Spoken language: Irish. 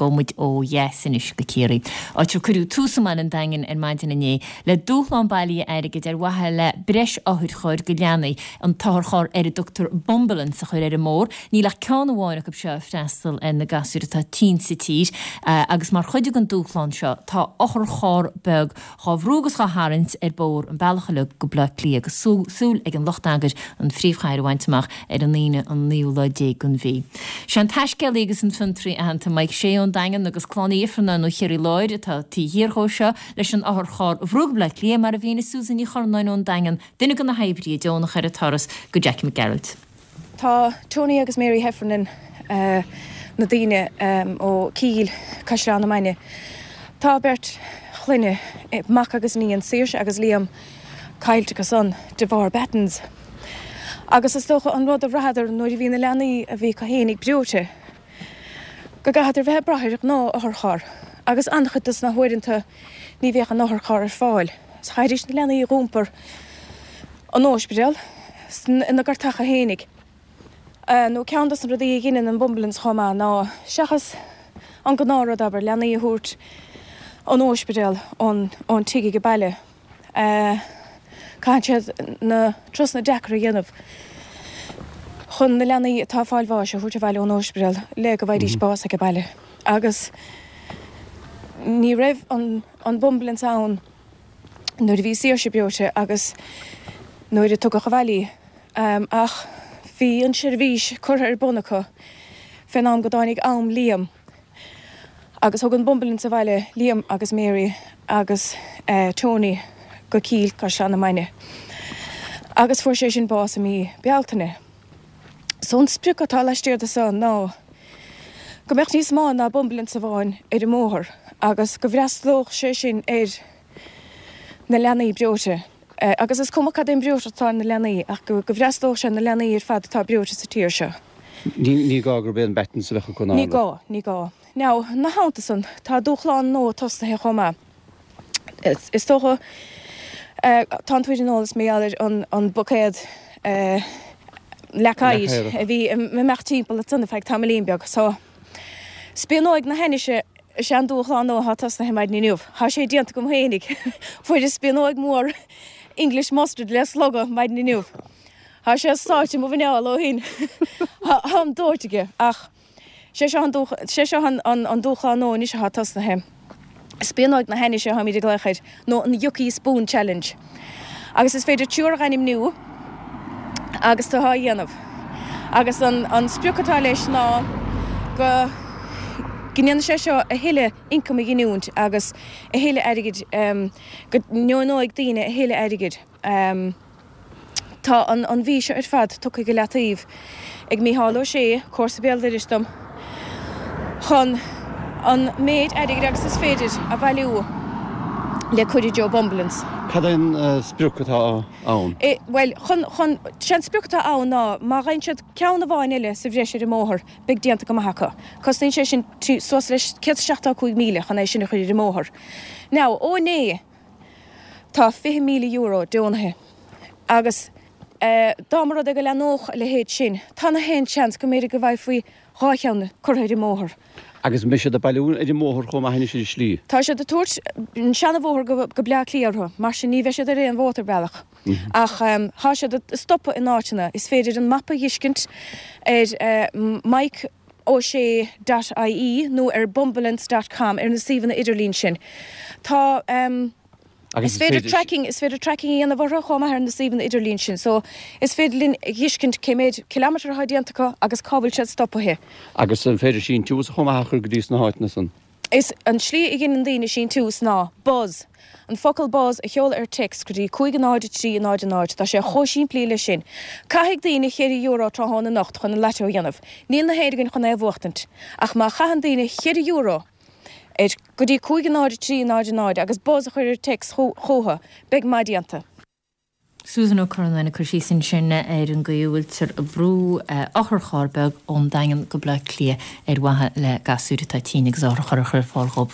Gabhfaidh muid ó dheas anois go Ciarraí, áit ar cuireadh tús i mbaile an Daingin ar maidin inné le dúshlán bailithe airgid ar mhaithe le breis otharchairr do leanaí, an t-otharcharr ar a dtugtar Bumbulance a chur ar an mbóthar. Níl ach ceann amháin acu seo ag freastal ar na gasúir atá tinn sa tír agus mar chuid den dúshlán seo tá otharcharr beag dhá bhrú agus dhá tharraingt ar bóthar an bealach uilig go Bleá Cliath agus súil ag an lucht eagair an phríomhchathair a bhaint amach ar an Aoine an naoú lá déag den mhí. Sé an taiscéalaí agus an fiontraí aitheanta Mike Shea ón Daingean agus Clann Uí Ifearnáin ó Chiarraí Láir atá taobh thiar dhó seo leis an otharcharr a bhrú go Bleá Cliath mar a mhínigh Susan Ní Churnáin ón Daingean, duine de na hoibrithe deonacha ar an turas, go Jackie Mac Gearailt. Tá Tony agus Mary Heffernan, na daoine ó Cill, Caisleán na Mainge. Tá beirt chlainne, mac agus iníon, Saoirse agus Liam, caillte acu san de bharr battens. Agus is dócha an rud a bhraitheadar nuair a bhí na leanaí a bhí acu fhéinig breoite, go gcaithfeadar bheith ag brath ar ghnáth otharcharr agus an-chuid dos na huaireanta ní bheadh an otharcharr ar fáil. So chaithfidís na leanaí a dh'iompar 'on óispidéal ina gcartacha fhéinig. Nó ceann dos na rudaí a dheineann an bumbalance chomh maith ná seachas an gnáth rud abair, leanaí a thabhairt 'on óispidéal ón tigh age baile, Caitheann siad na turasanna deacra a dhéanamh chun na leanaí atá ag fáil bháis a thabhairt abhaile ón óispidéal le go bhfaighidís bás age baile. Agus ní raibh an bumbalance ann nuair a bhí Saoirse breoite agus nuair a tugadh abhaile í. Ach bhí an seirbhís curtha ar bun acu fén am go dtáinig am Liam. Agus thug an bumbalance abhaile Liam agus Mary agus Tony go Cill, Caisleán na Mainge. Agus fuair sé sin bás i mí Bealtaine. So an sprioc atá laistiar de so ná go mbeadh níos mó ná bumbalance amháin ar an mbóthar agus go bhfreastalódh sé sin ar na leanaí breoite. Agus is cuma cad é an breoiteacht atá ar na leanaí ach go bhfreastalódh sé ar na leanaí ar fad atá breoite sa tír seo. Ní gá gurb é an battens a bheadh acu ná. Ní gá, ní gá. Now, ina theannta san, tá dúshlán nua tosnaithe chomh maith. Is dócha, tánn tú ar an eolas mar gheall ar an buicéad leac oighir a bhí ag imeacht timpeall ansan ar feadh tamaillín beag. So, spíonóig na hainnise is ea an dúshlán nua atá tosnaithe maidin inniu. Tá sé déanta agam féinig. Fuaireas spíonóig mhór English mustard le slogadh maidin inniu. Tá sé sáite i mo mhuineál ó shin. Táim dóite aige. Ach sé seo an sé seo an dúshlán nua anois atá tosnaithe. Spíonóig na hainnise atáimid ag glaoch air, nó an Yucky Spoon Challenge. Agus is féidir triúr a ainmniú agus tú á dhéanamh. Agus an sprioc atá leis ná go ndéanfaidh sé seo a thuilleadh ioncaim a ghiniúint agus a thuilleadh airgid, go ndeonóidh daoine a thuilleadh airgid. Tá an mhí seo ar fad tugtha go leataobh ag Mícheál Ó Sé, comharsa béal dorais dom, chun an méid airgid agus is féidir a bhailiú le cur i dtreo Bumbulance. Cad é an sprioc atá ann? Bhuel, chun, chun, sé an sprioc atá ann ná má gheibheann siad ceann amháin eile sa bhreis ar an mbóthar, beidh déanta go maith acu. Cosnaíonn sé sin suas le 175,000 chun é sin a chur ar an mbóthar. Now, ó inné, Tá €20,000 deonaithe agus dá mba rud é go leathnódh a leithéid sin, tá na haon seans go mb'fhéidir go bhfaighfí 2 cheann curtha ar an mbóthar. Agus an mbeidh siad ag bailiú ar an mbóthar chomh maith anois ar an slí? Tá siad ag tabhairt an seana-bhóthar go Bleá Cliath orthu, mar sin ní bheidh siad ar aon mhótarbhealach. Ach tá siad ag stopadh in áiteanna. Is féidir an mapa a dh'fheiscint ar Mike O'Shea dot ie nó ar bumbulance dot com ar na suíomhanna idirlín sin. Tá Is féidir tracking is féidir tracking a dhéanamh orthu chomh maith ar na suíomhanna idirlín sin. So is féidir linn a dh'fheiscint cé méid kilometre atá déanta acu agus cá bhfuil siad stopaithe. Agus an féidir síntiús chomh maith a chur go dtí sna háiteanna san? Is an tslí a ghineann daoine síntiús ná buzz, an focal buzz a sheoladh ar text go dtí 5 0 3 0 0. Tá sé chomh simplí leis sin. Caithfidh daoine €4 tráthnóna anocht chun an lató a dhéanamh. Níl na haon againn chun é a bhuachtaint. Ach má chaitheann daoine €4 ar go dtí 5 0 3 0 0 agus buzz a chur ar text chucu, beidh maith déanta. Susan Ó Curranáin ag cur síos ansin ar an gcaoi a bhfuiltear ag brú otharcharr beag ón Daingean go Bleá Cliath ar mhaithe le gasúir atá tinn agus otharcharr a chur ar fáil dhóibh.